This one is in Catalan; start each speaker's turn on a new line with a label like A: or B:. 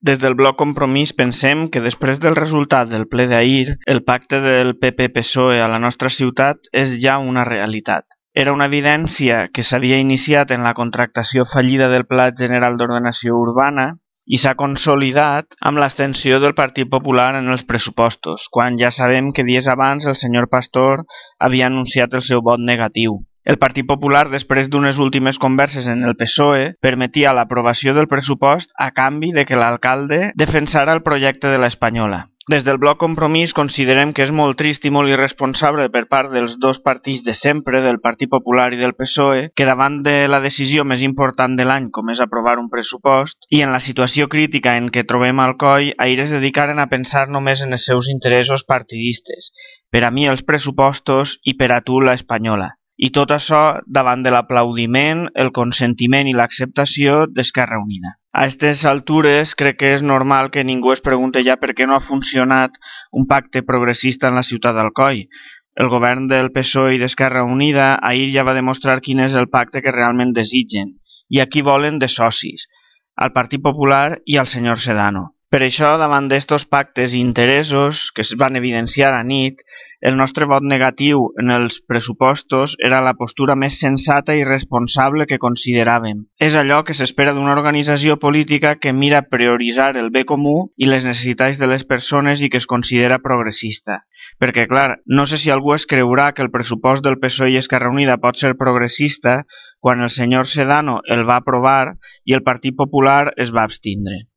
A: Des del Bloc Compromís pensem que després del resultat del ple d'ahir, el pacte del PP-PSOE a la nostra ciutat és ja una realitat. Era una evidència que s'havia iniciat en la contractació fallida del Pla General d'Ordenació Urbana i s'ha consolidat amb l'abstenció del Partit Popular en els pressupostos, quan ja sabem que dies abans el senyor Pastor havia anunciat el seu vot negatiu. El Partit Popular, després d'unes últimes converses en el PSOE, permetia l'aprovació del pressupost a canvi de que l'alcalde defensara el projecte de l'Espanyola. Des del Bloc Compromís considerem que és molt trist i molt irresponsable per part dels dos partits de sempre, del Partit Popular i del PSOE, que davant de la decisió més important de l'any, com és aprovar un pressupost, i en la situació crítica en què trobem Alcoi, ahir es dedicaren a pensar només en els seus interessos partidistes. Per a mi els pressupostos i per a tu l'Espanyola. I tot això davant de l'aplaudiment, el consentiment i l'acceptació d'Esquerra Unida. A aquestes altures crec que és normal que ningú es pregunte ja per què no ha funcionat un pacte progressista en la ciutat d'Alcoi. El govern del PSOE i d'Esquerra Unida ahir ja va demostrar quin és el pacte que realment desitgen i a qui volen de socis, al Partit Popular i al senyor Sedano. Per això, davant d'estos pactes i interessos que es van evidenciar a nit, el nostre vot negatiu en els pressupostos era la postura més sensata i responsable que consideràvem. És allò que s'espera d'una organització política que mira prioritzar el bé comú i les necessitats de les persones i que es considera progressista. Perquè, clar, no sé si algú es creurà que el pressupost del PSOE i Esquerra Unida pot ser progressista quan el senyor Sedano el va aprovar i el Partit Popular es va abstindre.